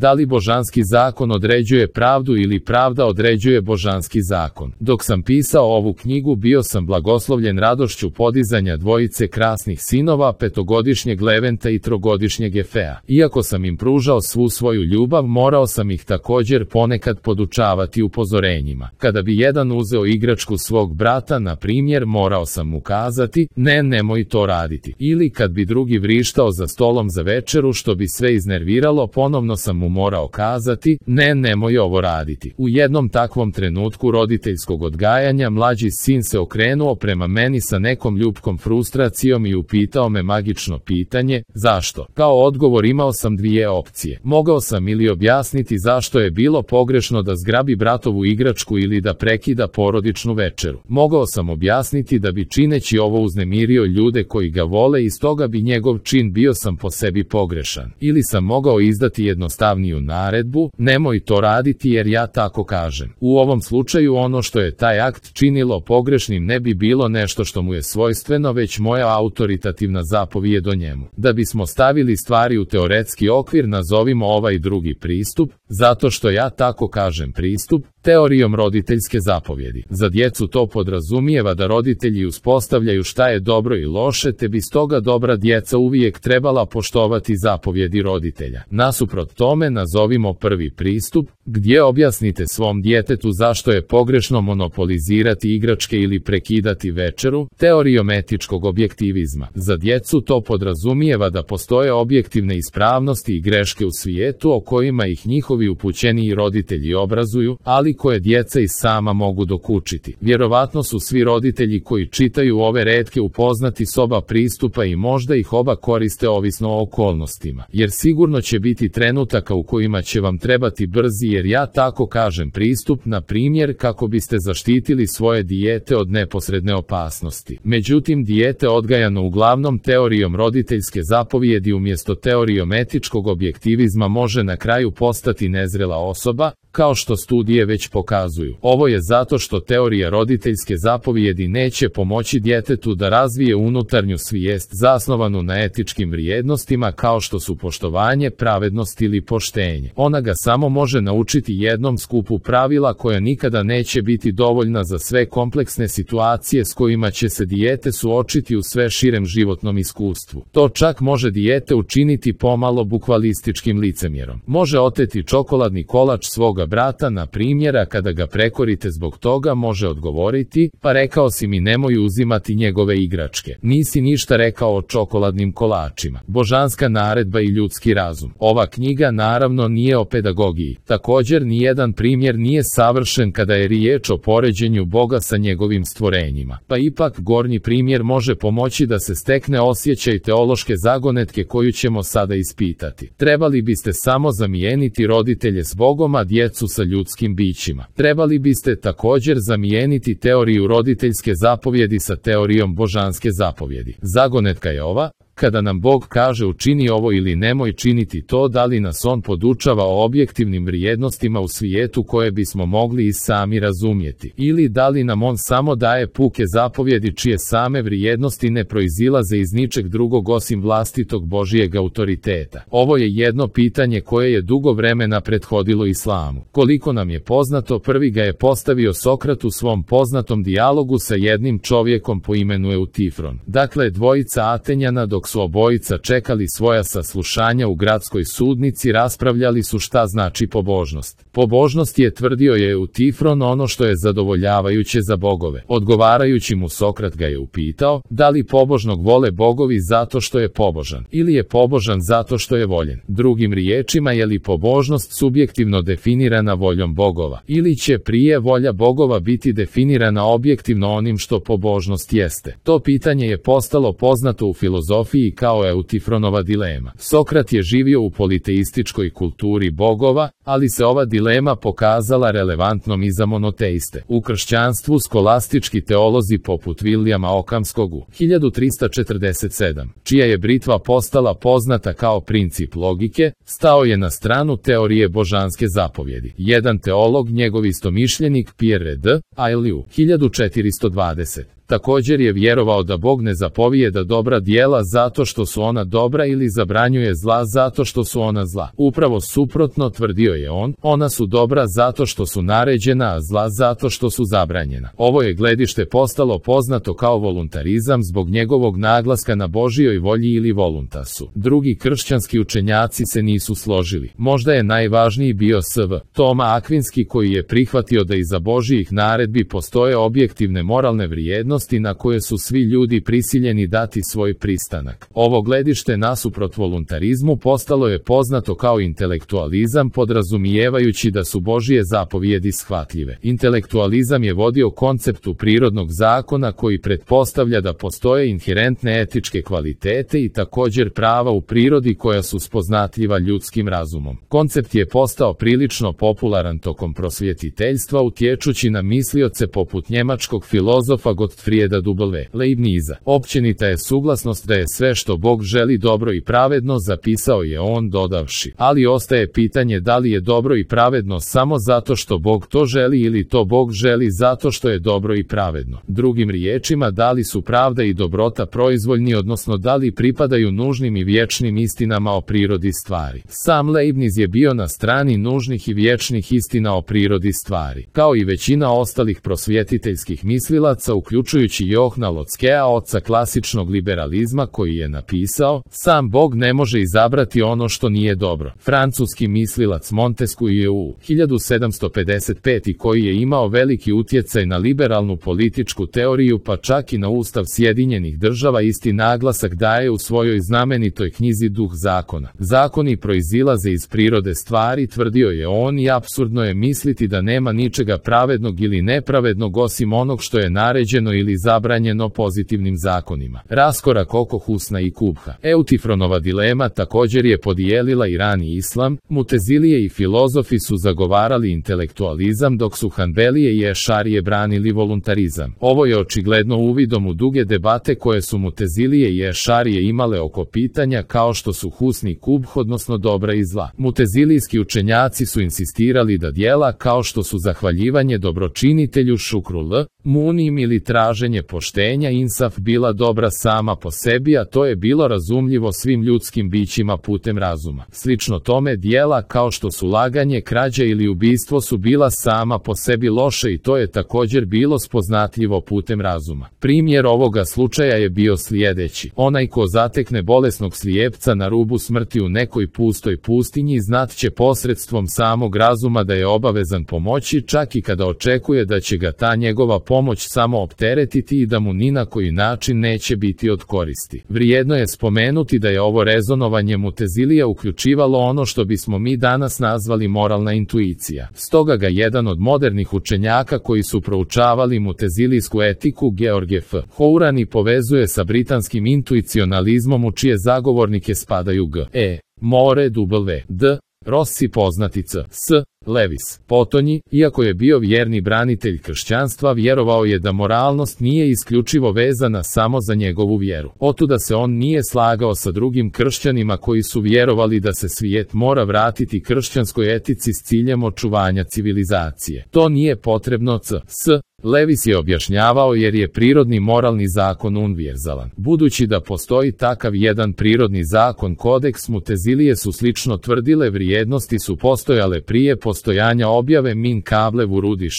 Da li božanski zakon određuje pravdu ili pravda određuje božanski zakon? Dok sam pisao ovu knjigu bio sam blagoslovljen radošću podizanja dvojice krasnih sinova, 5-godišnjeg Leventa i 3-godišnjeg Efea. Iako sam im pružao svu svoju ljubav, morao sam ih također ponekad podučavati upozorenjima. Kada bi jedan uzeo igračku svog brata, na primjer, morao sam mu kazati, nemoj to raditi. Ili kad bi drugi vrištao za stolom za večeru što bi sve iznerviralo, ponovno sam mu morao kazati, nemoj ovo raditi. U jednom takvom trenutku roditeljskog odgajanja mlađi sin se okrenuo prema meni sa nekom ljubkom frustracijom i upitao me magično pitanje, zašto? Kao odgovor imao sam dvije opcije. Mogao sam ili objasniti zašto je bilo pogrešno da zgrabi bratovu igračku ili da prekida porodičnu večeru. Mogao sam objasniti da bi čineći ovo uznemirio ljude koji ga vole i stoga bi njegov čin bio sam po sebi pogrešan. Ili sam mogao izdati jednostavniju naredbu, nemoj to raditi jer ja tako kažem. U ovom slučaju ono što je taj akt činilo pogrešnim ne bi bilo nešto što mu je svojstveno, već moja autoritativna zapovijed o njemu. Da bismo stavili stvari u teoretski okvir, nazovimo ovaj drugi pristup, zato što ja tako kažem pristup, teorijom roditeljske zapovjedi. Za djecu to podrazumijeva da roditelji uspostavljaju šta je dobro i loše, te bi stoga dobra djeca uvijek trebala poštovati zapovjedi roditelja. Nasuprot tome nazovimo prvi pristup, gdje objasnite svom djetetu zašto je pogrešno monopolizirati igračke ili prekidati večeru, teorijom etičkog objektivizma. Za djecu to podrazumijeva da postoje objektivne ispravnosti i greške u svijetu o kojima ih njihovi upućeniji roditelji obrazuju, ali koje djeca i sama mogu dokučiti. Vjerovatno su svi roditelji koji čitaju ove retke upoznati s oba pristupa i možda ih oba koriste ovisno o okolnostima. Jer sigurno će biti trenutaka u kojima će vam trebati brzi, jer ja tako kažem pristup, na primjer kako biste zaštitili svoje dijete od neposredne opasnosti. Međutim, dijete odgajano uglavnom teorijom roditeljske zapovijedi umjesto teorijom etičkog objektivizma može na kraju postati nezrela osoba, kao što studije već pokazuju. Ovo je zato što teorija roditeljske zapovijedi neće pomoći djetetu da razvije unutarnju svijest zasnovanu na etičkim vrijednostima kao što su poštovanje, pravednost ili poštenje. Ona ga samo može naučiti jednom skupu pravila koja nikada neće biti dovoljna za sve kompleksne situacije s kojima će se dijete suočiti u sve širem životnom iskustvu. To čak može dijete učiniti pomalo bukvalističkim licemjerom. Može oteti čokoladni kolač svoga brata, na primjera, kada ga prekorite zbog toga može odgovoriti, pa rekao si mi nemoj uzimati njegove igračke. Nisi ništa rekao o čokoladnim kolačima. Božanska naredba i ljudski razum. Ova knjiga naravno nije o pedagogiji. Također nijedan primjer nije savršen kada je riječ o poređenju Boga sa njegovim stvorenjima. Pa ipak gornji primjer može pomoći da se stekne osjećaj teološke zagonetke koju ćemo sada ispitati. Trebali biste samo zamijeniti roditelje s Bogom, a djecu sa ljudskim bićima. Trebali biste također zamijeniti teoriju roditeljske zapovjedi sa teorijom božanske zapovjedi. Zagonetka je ova: kada nam Bog kaže učini ovo ili nemoj činiti to, da li nas on podučava o objektivnim vrijednostima u svijetu koje bismo mogli i sami razumjeti, ili da li nam on samo daje puke zapovjedi čije same vrijednosti ne proizilaze iz ničeg drugog osim vlastitog Božijeg autoriteta. Ovo je jedno pitanje koje je dugo vremena prethodilo islamu. Koliko nam je poznato, prvi ga je postavio Sokrat u svom poznatom dijalogu sa jednim čovjekom po imenu Eutifron. Dakle, dvojica Atenjana, dok su obojica čekali svoja saslušanja u gradskoj sudnici, raspravljali su šta znači pobožnost. Pobožnost je, tvrdio je Eutifron, ono što je zadovoljavajuće za bogove. Odgovarajući mu, Sokrat ga je upitao, da li pobožnog vole bogovi zato što je pobožan, ili je pobožan zato što je voljen. Drugim riječima, je li pobožnost subjektivno definirana voljom bogova, ili će prije volja bogova biti definirana objektivno onim što pobožnost jeste? To pitanje je postalo poznato u filozofiji kao Eutifronova dilema. Sokrat je živio u politeističkoj kulturi bogova, ali se ova dilema pokazala relevantnom i za monoteiste. U kršćanstvu skolastički teolozi poput Vilijama Okamskog u 1347, čija je britva postala poznata kao princip logike, stao je na stranu teorije božanske zapovjedi. Jedan teolog, njegov istomišljenik Pierre de Ailly u 1420, Također je vjerovao da Bog ne zapovijeda dobra djela zato što su ona dobra ili zabranjuje zla zato što su ona zla. Upravo suprotno, tvrdio je on, ona su dobra zato što su naređena, a zla zato što su zabranjena. Ovo je gledište postalo poznato kao voluntarizam zbog njegovog naglaska na Božijoj volji ili voluntasu. Drugi kršćanski učenjaci se nisu složili. Možda je najvažniji bio S.V. Toma Akvinski, koji je prihvatio da iza Božijih naredbi postoje objektivne moralne vrijednosti na koje su svi ljudi prisiljeni dati svoj pristanak. Ovo gledište nasuprot voluntarizmu postalo je poznato kao intelektualizam, podrazumijevajući da su Božije zapovjedi shvatljive. Intelektualizam je vodio konceptu prirodnog zakona koji pretpostavlja da postoje inherentne etičke kvalitete i također prava u prirodi koja su spoznatljiva ljudskim razumom. Koncept je postao prilično popularan tokom prosvjetiteljstva, utječući na mislioce poput njemačkog filozofa Gottfrieda W. Leibniza. Općenita je suglasnost da je sve što Bog želi dobro i pravedno, zapisao je on dodavši. Ali ostaje pitanje da li je dobro i pravedno samo zato što Bog to želi ili to Bog želi zato što je dobro i pravedno. Drugim riječima, da li su pravda i dobrota proizvoljni, odnosno da li pripadaju nužnim i vječnim istinama o prirodi stvari. Sam Leibniz je bio na strani nužnih i vječnih istina o prirodi stvari. Kao i većina ostalih prosvjetiteljskih mislilaca, uključujući Johna Lotskea, oca klasičnog liberalizma, koji je napisao: sam Bog ne može izabrati ono što nije dobro. Francuski mislilac Montesquieu je u 1755 koji je imao veliki utjecaj na liberalnu političku teoriju, pa čak i na Ustav Sjedinjenih Država, isti naglasak daje u svojoj znamenitoj knjizi Duh zakona. Zakoni proizilaze iz prirode stvari, tvrdio je on, i apsurdno je misliti da nema ničega pravednog ili nepravednog osim onog što je naređeno ili zabranjeno pozitivnim zakonima. Raskorak oko Husna i Kubha. Eutifronova dilema također je podijelila i rani islam. Mutezilije i filozofi su zagovarali intelektualizam, dok su Hanbelije i Ešarije branili voluntarizam. Ovo je očigledno uvidom u duge debate koje su Mutezilije i Ešarije imale oko pitanja kao što su Husni i Kubh, odnosno dobra i zla. Mutezilijski učenjaci su insistirali da djela kao što su zahvaljivanje dobročinitelju, šukru l, munim ili traženje poštenja, insaf, bila dobra sama po sebi, a to je bilo razumljivo svim ljudskim bićima putem razuma. Slično tome, djela kao što su laganje, krađa ili ubistvo su bila sama po sebi loše i to je također bilo spoznatljivo putem razuma. Primjer ovoga slučaja je bio sljedeći. Onaj ko zatekne bolesnog slijepca na rubu smrti u nekoj pustoj pustinji, znat će posredstvom samog razuma da je obavezan pomoći, čak i kada očekuje da će ga ta njegova pomoć samo opteretiti i da mu ni na koji način neće biti od koristi. Vrijedno je spomenuti da je ovo rezonovanje Mutezilija uključivalo ono što bismo mi danas nazvali moralna intuicija. Stoga ga jedan od modernih učenjaka koji su proučavali mutezilijsku etiku, George F. Hourani, povezuje sa britanskim intuicionalizmom, u čije zagovornike spadaju G. E. More, W. D. Rossi, poznatica S. Lewis. Potonji, iako je bio vjerni branitelj kršćanstva, vjerovao je da moralnost nije isključivo vezana samo za njegovu vjeru. Otuda se on nije slagao sa drugim kršćanima koji su vjerovali da se svijet mora vratiti kršćanskoj etici s ciljem očuvanja civilizacije. To nije potrebno. S. Lewis je objašnjavao jer je prirodni moralni zakon univerzalan. Budući da postoji takav jedan prirodni zakon, kodeks, Mutezilije su slično tvrdile vrijednosti su postojale prije postojanja objave min kable vurudi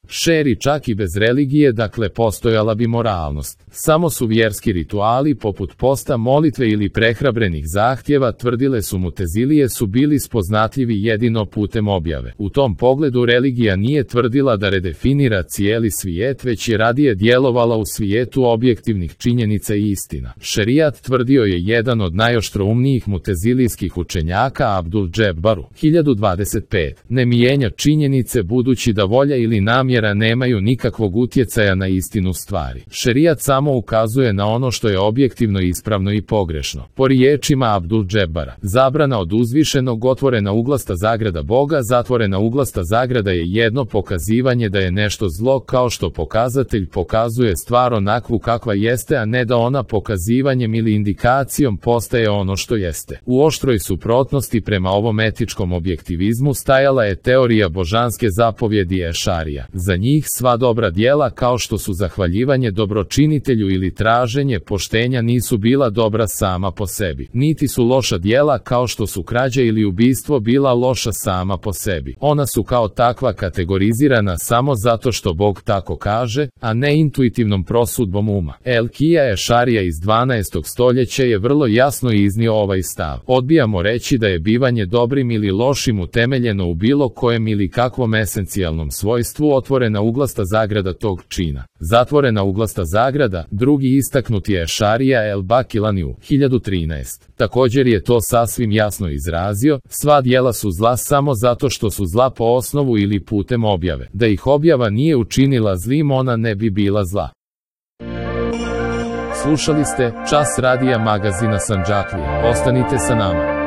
šeri, čak i bez religije, dakle postojala bi moralnost. Samo su vjerski rituali poput posta, molitve ili prehrabrenih zahtjeva, tvrdile su Mutezilije, su bili spoznatljivi jedino putem objave. U tom pogledu religija nije tvrdila da redefinira cijeli svijet, već je radije djelovala u svijetu objektivnih činjenica i istina. Šerijat, tvrdio je jedan od najoštroumnijih mutezilijskih učenjaka, Abdul Džebbaru, 1025, ne mijenja činjenice budući da volja ili namjera nemaju nikakvog utjecaja na istinu stvari. Šerijat samo ukazuje na ono što je objektivno ispravno i pogrešno. Po riječima Abdul Džebbara, zabrana od uzvišenog, otvorena uglasta zagrada Boga, zatvorena uglasta zagrada, je jedno pokazivanje da je nešto zlo, kao što pokazatelj pokazuje stvar onakvu kakva jeste, a ne da ona pokazivanjem ili indikacijom postaje ono što jeste. U oštroj suprotnosti prema ovom etičkom objektivizmu stajala je teorija božanske zapovjedi Ešarija. Za njih sva dobra djela kao što su zahvaljivanje dobročinitelju ili traženje poštenja nisu bila dobra sama po sebi. Niti su loša djela kao što su krađa ili ubistvo bila loša sama po sebi. Ona su kao takva kategorizirana samo zato što Bog tako kaže, a ne intuitivnom prosudbom uma. El-Kija Ešarija iz 12. stoljeća je vrlo jasno iznio ovaj stav. Odbijamo reći da je bivanje dobrim ili lošim utemeljeno u bilo kojem ili kakvom esencijalnom svojstvu otvorena uglasta zagrada tog čina. Zatvorena uglasta zagrada, drugi istaknuti je Ešarija el-Bakilaniu, 1013. Također je to sasvim jasno izrazio, sva djela su zla samo zato što su zla po osnovu ili putem objave. Da ih objava nije učinila zlim, ona ne bi bila zla. Slušali ste Čas radija magazina Sandžaklija. Ostanite sa nama.